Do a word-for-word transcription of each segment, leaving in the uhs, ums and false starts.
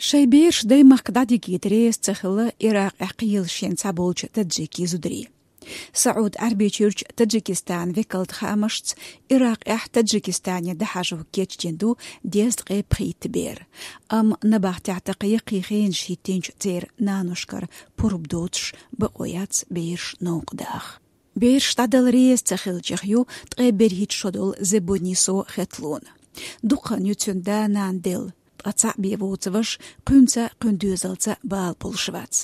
Шайн бераш даймахка дӀадигийта реза ца хилла Иракъехь кхелашен цхьаболчу таджикийн зударий. СаӀуд Ӏаьрбийчуьрчу Таджикистанан векалта хаамашца, Иракъехь Таджикистане дӀахьажо кечдина ду дезткъе пхийтта бер. Амма набахтехь тӀаккха яккхий хенаш хӀиттинчу церан наношкара пурба доцуш бакъо яц бераш новкъа даха. Бераш дӀадала реза ца хиллачех ю ткъе берхӀитта шо долу Зебунисо Хетлуна. Дукха хан ю цуьнан да-нана делла, ткъа цхьаъ бен воцу ваша кхуьнца а, кхуьнан доьзалца а бала болуш вац.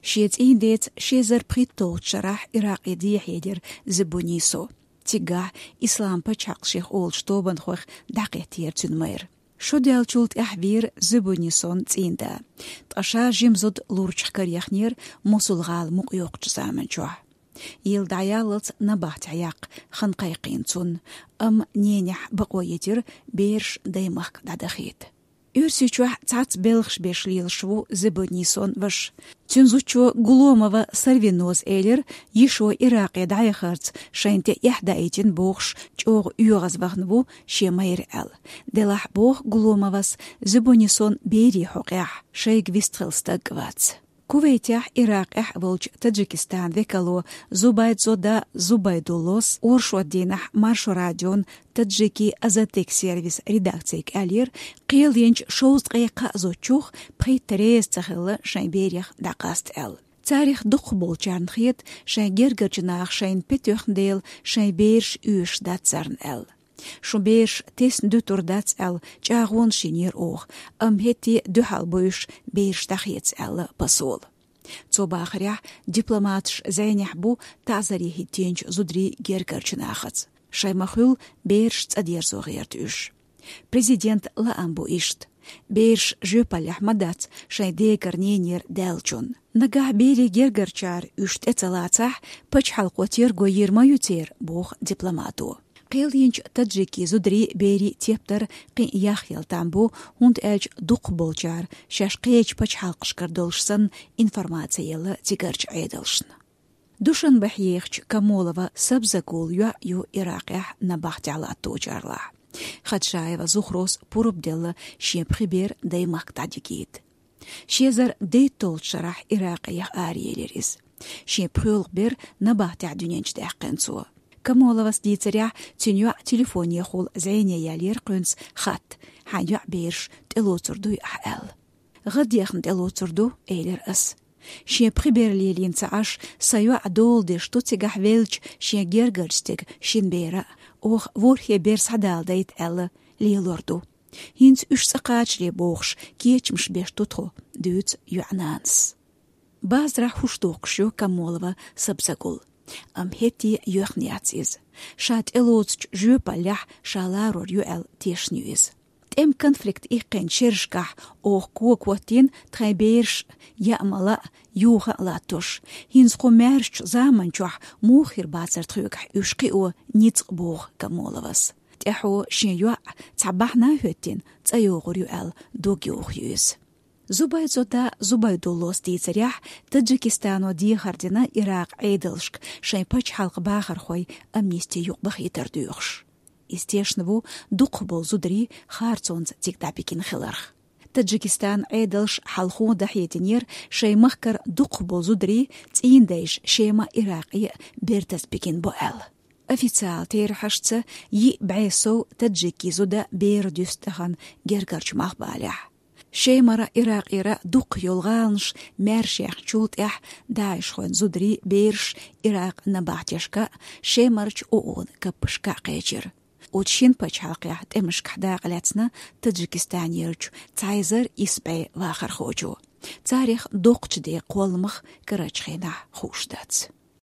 Шен цӀийнан деца ши эзар пхийтталгӀачу шарахь Иракъе дехьаелира Зебунисо. Цигахь Ислам пачхьалкх шех олучу тобанхойх дӀакхеттера цуьнан майра. Шо даьллачул тӀаьхьа вийра Зебунисон цӀийнан да. Ткъа ша жима зуда лурчех караяхнера Мосул-гӀала мукъа йоккхучу заманчохь. Йилла дӀаяллалц набахтехь яккха хан кхайкхийна цунна, амма ненехь бакъо йитира бераш даймахка дӀадахийта. Оьрсийчохь цхьацца белхаш беш лелаш ву Зебунисон ваша. Цуьнан зудчо Гуломова Сарвиноса элира, йишо Иракъе дӀаяхарца шайна тӀе эхь даийтина бохуш, чӀогӀа оьгӀазвахана ву шен майра аьлла. Делахь, боху Гуломовас, Зебунисон берийн хьокъехь шайга вистхилла стаг а вац. Кувейтехь, Иракъехь а волчу Таджикистанан векало Зубайдзода Зубайдуллос оршот дийнахь Маршо радион Таджики Азаттык сервисан редакцига аьллера, кхелъенчу шовзткъе кхаа зудчух пхийтта реза ца хилла шайн берех дӀакъаста аьлла. Царах дукхахболчарна хета, шайн гергарчу наха шайна пе тоьхна дела, шайн бераш оьшуш дац царна аьлла. Шун бераш тесна дуьтур дац аьлла, чӀагӀонаш йинера оха, амма хӀетте а дуьхьал бу уьш бераш дӀахеца аьлла посоло. Цо бахарехь, дипломаташ зӀенехь бу таӀзаре хӀиттийначу зударийн гергарчу нахаца. Шайн ма-хуьллу бераш цӀа дерзо гӀерта уьш. Президентан лаам бу иштта: бераш жоьпаллехь ма дац шайн дегара, ненера даьллачунна. Нагахь берийн гергарчара уьш тӀе ца лацахь, пачхьалкхо терго йийр ма ю церан, боху дипломато. Кхелъенчу таджикийн зударийн, берийн тептар кхин а яхъелла там бу, хӀунда аьлча дукхахболчара шаьш кхечу пачхьалкхашкара долуш санна информаци елла цигарчу Ӏедалшна. Душанбехь ехачу Камолова Сабзагулан йоӀ ю Иракъехь набахтехь латточарлахь. Хаджаева Зухрос пурба делла шен пхи бер даймахка дӀадигийта. Ши эзар дейтталгӀачу шарахь Иракъех араелира иза. Шен пхоьалгӀа бер набахтехь дуьнен чу даьккхина цо. Камоловас дийцарехь, цуьнан йоӀ телефонехула зӀене яьллера кхуьнца хатта: «Хьайн йоӀ, бераш тӀелоцур дуй ахь?» – аьлла. «ГӀаддехна тӀелоцур ду», – элира ас. «Шен пхи бер лелийна ца Ӏаш, сан йоӀ дола деш ду цигахь веллачу шен гергарчу стеган шина бера а. Оха ворхӀе бер схьадала дайта аьлла лелор ду. ХӀинца уьш цӀа кхачале бохуш, кечамаш беш ду тхо», – дуьйцу йоӀан нанас. Базарахь хӀуш дохкуш ю Камолова Сабзагул. Амма хӀетте а йоьхна яц иза. Ша тӀелоцучу жоьпаллехь ша ларор ю аьлла тешна ю иза. ТӀеман конфликт иккхинчу шерашкахь оха кога хӀоттийна тхайн бераш яа ма лаа, юха а латтош. ХӀинца кху маьршачу заманчохь муха хир бацара тхоьгахь уьш кхио ницкъ, боху Камоловас. ТӀаьхьо шен йоӀ цхьа бахьана а хӀоьттина цӀа йогӀур ю аьлла дог йоху ю иза. Зубайдзода Зубайдуллос дийцарехь, Таджикистано дехар дина Иракъан Ӏедалшка шайн пачхьалкхан бахархойн амнисти юкъабахийтар доьхуш. Иза тешна ву дукхахболу зударий харцонца цига дӀабигина хиларх. Таджикистанан Ӏедалша хьалхо дӀахьединера шайн махкара дукхахболу зударий, цӀийнан дайша Шема, Иракъе а бертаза бигина бу аьлла. Официалан терахьашца, йиъ бӀе сов таджикийн зуда бер дуьсу тахана гергарчу малхбалехь. Шемара, Иракъера дукхах йолу гӀаланаш маьрша яьхначул тӀаьхьа даишхойн зударийн бераш Иракъан набахтешка а, Шемарчу ООН-ан каппашка а кхечира. Оцу шина пачхьалкхехь тӀемашкахь дакъа лаьцна Таджикистанерчу цхьа эзар исс бӀе вахархочо. Царах доккхачу ден кхолламах карарчу хенахь хууш дац.